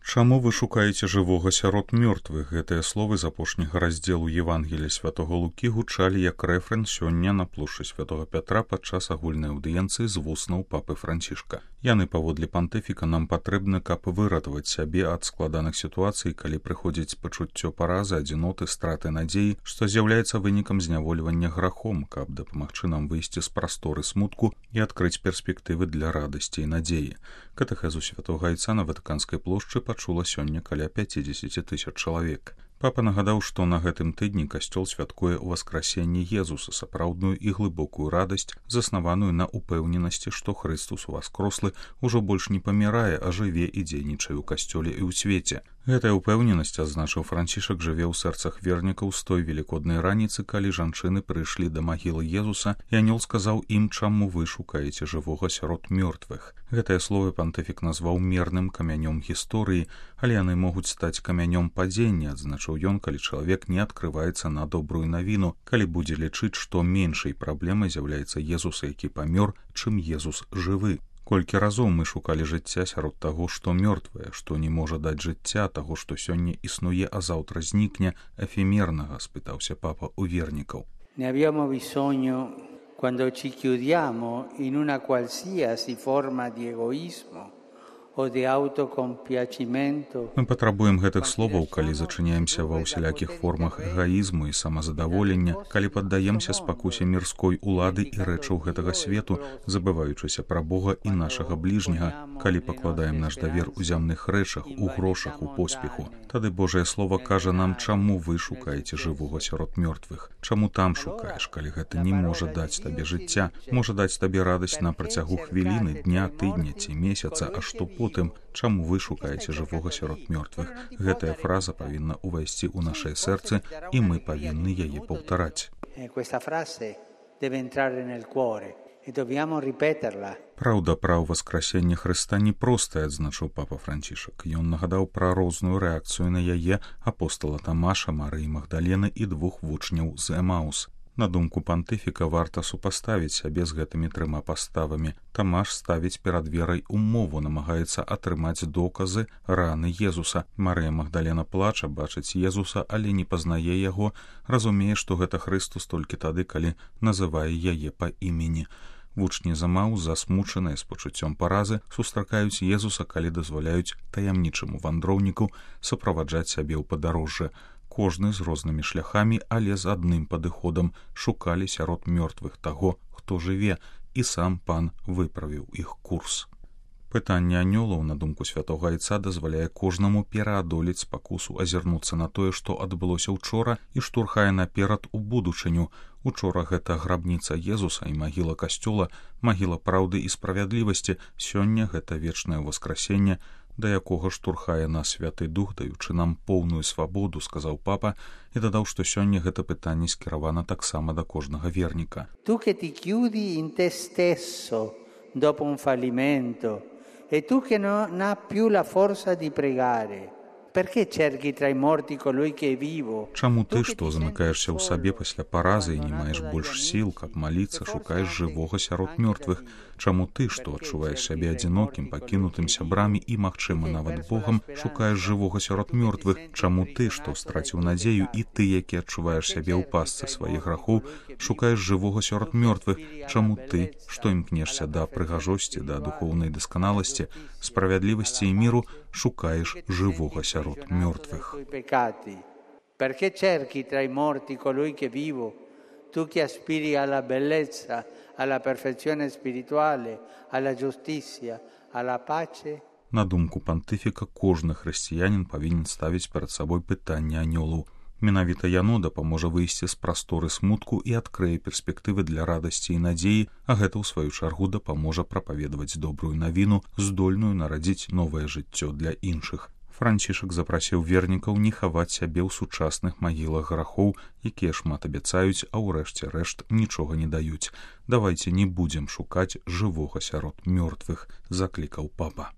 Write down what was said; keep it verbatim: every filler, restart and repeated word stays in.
Чаму вы шукаеце жывога сярод мёртвых? Гэтыя словы з апошняга раздзелу Евангелія святого Лукі гучалі як рэфрэн сёння на плошчы святого Пятра падчас агульнай аўдыенцыі з вуснаў папы Францішка. Яны паводле пантыфіка нам патрэбны, каб выратаваць сябе ад складаных сітуацый, калі прыходзіць пачуццё паразы, адзіноты, страты надзеі, што з'яўляецца вынікам знявольвання грахом, каб дапамагчы нам выйсці з прасторы смутку і адкрыць перспектывы для радасці і надзеі. Катэхезу святога Айца на Ватыканскай плошчы пачула сёння каля пяцідзесяці тысяч чалавек. Папа нагадаў, што на гэтым тыдні касцёл святкуе ўваскрасенне Езуса, сапраўдную і глыбокую радасць, заснаваную на упэўненасці, што Хрыстус уваскрослы ўжо больш не памірае, а жыве і дзейнічае ў касцёле і ў свеце. Гэтая упэўненасць, адзначыў Францішак, жыве ў сэрцах вернікаў з той велікоднай раніцы, калі жанчыны прыйшлі да магілы Езуса, і анёл сказаў ім, чаму вы шукаеце жывога сярод мёртвых. Гэтыя словы пантыфік назваў мерным камянём гісторыі, але яны могуць стаць камянём падзення, адзначыў ён, калі чалавек не адкрываецца на добрую навіну, калі будзе лічыць, што меншай праблемай з'яўляецца Езус, які памёр, чым Езус жывы. Колькі разоў мы шукалі жыцця сярод таго, што мёртвае, што не можа даць жыцця, таго, што сёння існуе, а заўтра знікне, эфемернага, спытаўся папа у вернікаў. Ne abbiamo bisogno quando ci chiudiamo in una qualsiasi forma di egoismo o di autocompiacimento. Мы патрабуем гэтых словаў, калі зачыняемся ва ўсялякіх формах эгаізму і самазадаволення, калі паддаемся спакусе мірской улады і рэчаў гэтага свету, забываючыся пра Бога і нашага бліжняга, калі пакладаем наш давер у зямных рэчах, у грошах, у поспеху. Тады Божае слово кажа нам, чаму вы шукаеце жывога сярод мёртвых. Чаму там шукаеш, калі гэта не можа даць табе жыцця, можа даць табе радасць на працягу хвіліны, дня, тыдня ці месяца, а што потым, чаму вы шукаеце жывога сярод мёртвых. Гэтая фраза павінна ўвайсці ў нашае сэрцы, і мы павінны яе паўтараць. Праўда пра ўваскрасенне Хрыста непростая, адзначыў папа Францішак. Ён нагадаў пра розную рэакцыю на яе апостола Тамаша, Марыі Магдалены і двух вучняў з Эмаус. На думку пантыфіка, варта супаставіць сябе з гэтымі трыма паставамі. Тамаш ставіць перад верай умову, намагаецца атрымаць доказы раны Езуса. Марыя Магдалена плача, бачыць Езуса, але не пазнае яго, разумее, што гэта Хрыстус толькі тады, калі называе яе па імені. Вучні з Эмаус, засмучаныя з пачуццём паразы, сустракаюць Езуса, калі дазваляюць таямнічаму вандроўніку суправаджаць сябе ў падарожжы. Кожны з рознымі шляхамі, але з адным падыходам, шукалі сярод мёртвых таго, хто жыве, і сам пан выправіў іх курс. Пытанне анёлаў, на думку святога Айца, дазваляе кожнаму пераадолець спакусу, азірнуцца на тое, што адбылося ўчора, і штурхае наперад у будучыню. Учора гэта грабніца Езуса і магіла касцёла, магіла праўды і справядлівасці, сёння гэта вечнае ўваскрасенне, да якога штурхае нас Святы Дух, даючы нам поўную свабоду, сказаў папа, і дадаў, што сёння гэта пытанне скіравана таксама да кожнага верніка. Tu che ti chiudi in te stesso dopo un fallimento e tu che non ha più la forza di pregare. Perché cerchi tra i morti colui che è vivo? Чаму ты, што замыкаешся ў сабе пасля паразы і не маеш больш сіл, каб маліцца, шукаеш жывога сярод мёртвых? Чаму ты, што адчуваеш сябе адзінокім, пакінутым сябрамі і, магчыма, нават Богам, шукаеш жывога сярод мёртвых? Чаму ты, што страціў надзею, і ты, які адчуваеш сябе ў пастцы сваіх грахоў, шукаеш жывога сярод мёртвых? Чаму ты, што імкнешся да прыгажосці, да духоўнай дасканаласці, справядлівасці і міру, шукаеш жывога сярод мёртвых? Perché cerchi tra i morti colui che è vivo? Tu che aspiri alla bellezza, alla perfezione spirituale, alla giustizia, alla pace. На думку пантыфіка, кожны хрысціянін павінен ставіць перад сабой пытанне анёлаў. Менавіта яно дапаможа выйсці з прасторы смутку і адкрые перспектывы для радасці і надзеі, а гэта ў сваю чаргу дапаможа прапаведаваць добрую навіну, здольную нарадзіць новае жыццё для іншых. Францішак запрасіў вернікаў не хаваць сябе ў сучасных магілах грахоў, якія шмат абяцаюць, а ў рэшце рэшт нічога не даюць. Давайце не будзем шукаць жывога сярод мёртвых, заклікаў папа.